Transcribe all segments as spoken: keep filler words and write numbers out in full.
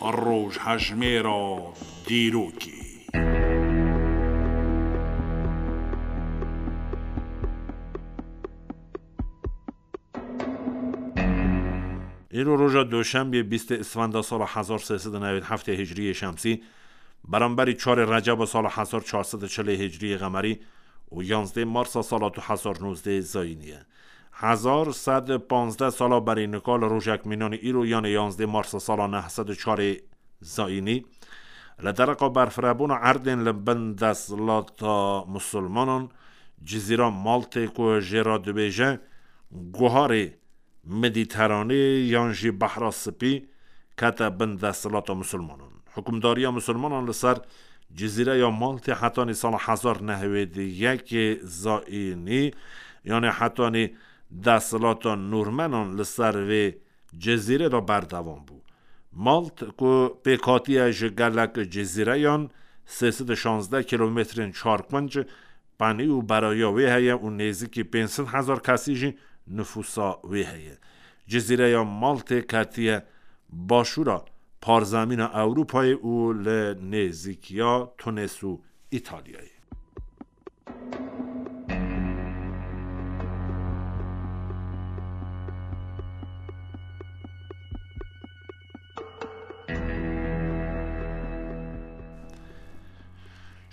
Rojhejmêra dîrokê. Îro roja Doşembê, bîstê Îsfenda sala hezar sê sed û newêd heftê Hicriyê Şemsî, beramberî çarê Receba sala hezar çar sed û çilê Hicriyê Qemerî û yanzdê Marsa sala du hezar nozdeh Zayînî ye. Hezar sed û panzdeh sala berî nika li rojek mînanî îro, yanê yanzdê Marsa sala neh sed û çarê Zayînî, li dereqa berfirebûna erdên li bin desthilata Musulmanan, Cizîra Maltê ku jê re dibêje Guharê Medîteranê yan jî Behra Spî, kete bin desthilata Musulmanan. Hukimdariya Musulmanan li ser Cizîreya Maltê hetanî sala hezar neh sed û yekê Zayînî, yanê hetanî desthilata Nûrmenan li ser vê cizîrê de berdewam bû. Malt ku pêk hatiye ji gelek cizîreyan, sê sed û şazdeh kîlometrên çarpinc penî û beraya wê heye û nêzîkî pênc sed hezar kesî jî nifûsa wê heye. Cizîreya Maltê ketiye başûra parzemîna Ewropayê û li nêzîkiya Tunes û Îtalyayê.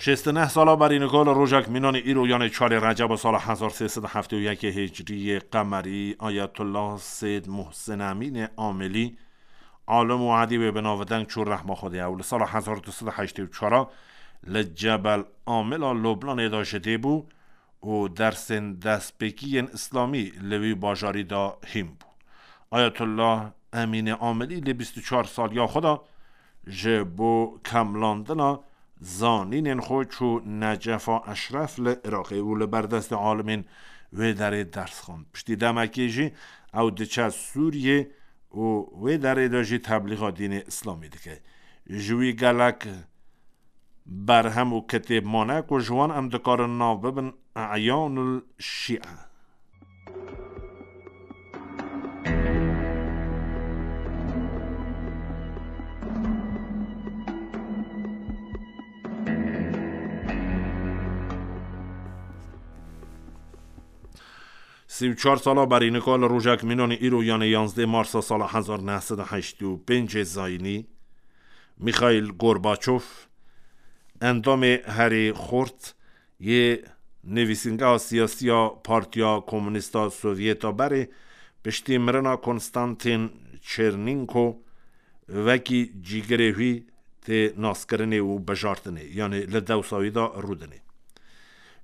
Şêst û neh sala berî nika li rojek mînanî îro, yanê çarê Receba sala hezar sê sed û heftê û yekê Hicriyê Qemerî, Ayetullah Seyd Muhsin Emînê Amilî, alim û edîbê bi navdeng çû rehma Xwedê. Ew li sala hezar du sed û heştê û çar li Cebel Amila Lubnanê de ji dê bû û dersên destpêkî yên îslamî li wî bajarî de hîn bû. Ayetullah Emînê Amilî li bîst û çar saliya xwe de ji bo kemlandina zanînên xwe çû Necefa Eşref li Iraqê û li ber destê alimên wê derê ders xwend. Piştî demekê jî ew diçe Sûriyê û wê derê de jî teblîxa dînê îslamî dike. Ji wî gelek berhem û kitêb mane ku ji wan em dikarin nav bibin Eyanul Şîe. Sî û çar sala berî nika li rojek mînanî îro, yanê yanzdê Marsa sala hezar neh sed û heştê û pêncê Zayînî, Mîxaîl Gorbaçov, endamê herî xurt yê nivîsîngeha siyasî ya Partiya Komûnîst a Sovyeta berê, piştî mirina Konstantin Çernînko, wekî cîgirê wî tê naskirinê û bijartinê, yanê li dewsa wî de rûdinê.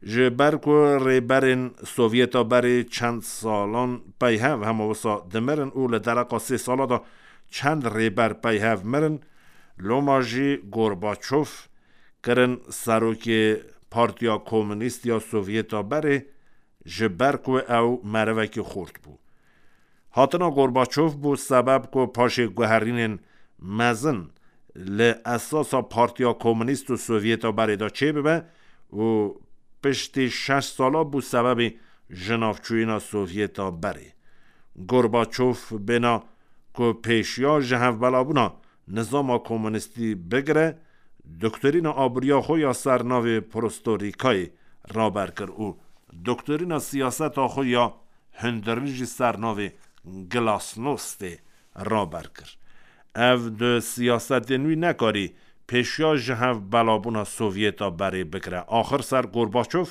Ji ber ku rêberên Sovyeta berê çend salan peyhev hema wisa dimirin û li dereqa sê sala de çend rêber peyhev mirin, loma jî Gorbaçov kirin serokê Partiya Komûnîst ya Sovyeta berê, ji ber ku ew merivekî xurt bû. Hatina Gorbaçov bû sebeb ku paşê guherînên mezin li esasa Partiya Komûnîst û Sovyeta berê de çêbibe û piştî şeş sala bû sebebê jinavçûyîna Sovyeta berê. Gorbaçov bêna ku pêşiya ji hevbelabûna nizama komûnîstî bigire, doktorîna aboriya xwe ya ser navê Prostorîkayê raber kir û doktorîna siyaseta xwe ya hundirî jî ser navê Glasnostê raber kir. Ev du siyasetên wî nekarî pêşiya ji hev belabûna Sovyeta berê bigire. Axir ser Gorbaçov,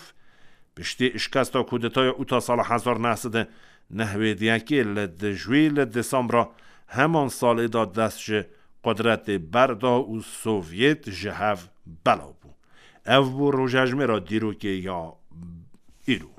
piştî şikesta kudetaya ûta sala hezar neh sed û newêd yekê li dijwî li Desembra heman salê de dest ji qudretê berda û Sovyet ji hev belav bû. Ev bû rojejmêra dîrokê ya îro.